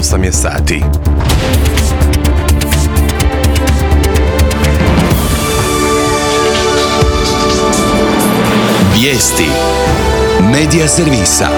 8 je sati. Vijesti Medija servisa.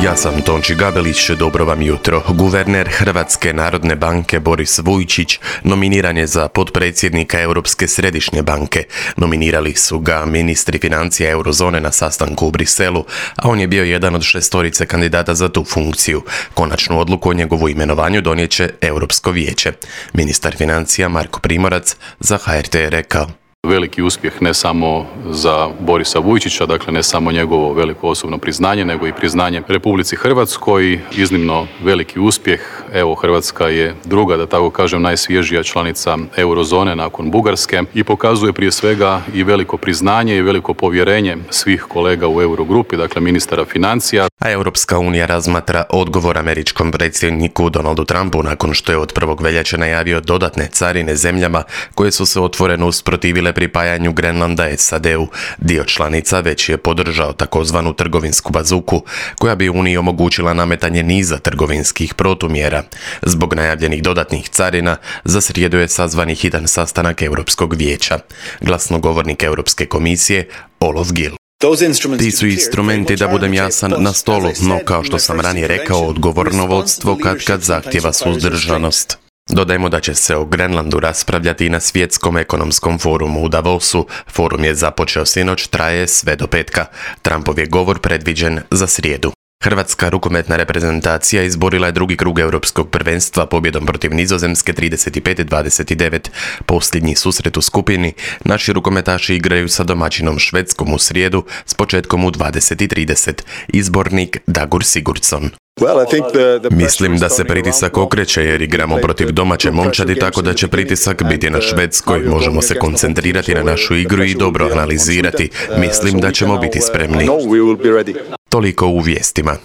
Ja sam Tonči Gabelić, dobro vam jutro. Guverner Hrvatske narodne banke Boris Vujčić nominiran je za potpredsjednika Europske središnje banke. Nominirali su ga ministri financija eurozone na sastanku u Briselu, a on je bio jedan od 6 kandidata za tu funkciju. Konačnu odluku o njegovu imenovanju donijet će Europsko vijeće. Ministar financija Marko Primorac za HRT je rekao: Veliki uspjeh ne samo za Borisa Vujčića, dakle ne samo njegovo veliko osobno priznanje, nego i priznanje Republici Hrvatskoj. Iznimno veliki uspjeh. Evo, Hrvatska je druga, da tako kažem, najsvježija članica eurozone nakon Bugarske i pokazuje prije svega i veliko priznanje i veliko povjerenje svih kolega u Eurogrupi, dakle ministara financija. A Europska unija razmatra odgovor američkom predsjedniku Donaldu Trumpu nakon što je od 1. veljače najavio dodatne carine zemljama koje su se otvoreno usprotivile pripajanju Grenlanda SAD-u. Dio članica već je podržao takozvanu trgovinsku bazuku koja bi Uniji omogućila nametanje niza trgovinskih protumjera. Zbog najavljenih dodatnih carina za srijedu je sazvani hitan sastanak Europskog vijeća. Glasnogovornik Europske komisije Olof Gil: Ti su instrumenti, da budem jasan, na stolu, no kao što sam ranije rekao, odgovorno vodstvo kad zahtjeva suzdržanost. Dodajmo da će se o Grenlandu raspravljati i na Svjetskom ekonomskom forumu u Davosu. Forum je započeo sinoć, traje sve do petka. Trumpov je govor predviđen za srijedu. Hrvatska rukometna reprezentacija izborila je drugi krug europskog prvenstva pobjedom protiv Nizozemske 35-29. Posljednji susret u skupini naši rukometaši igraju sa domaćinom Švedskom u srijedu s početkom u 20:30. Izbornik Dagur Sigurdsson: Mislim da se pritisak okreće jer igramo protiv domaće momčadi, tako da će pritisak biti na Švedskoj. Možemo se koncentrirati na našu igru i dobro analizirati. Mislim da ćemo biti spremni. Toliko u vijestima.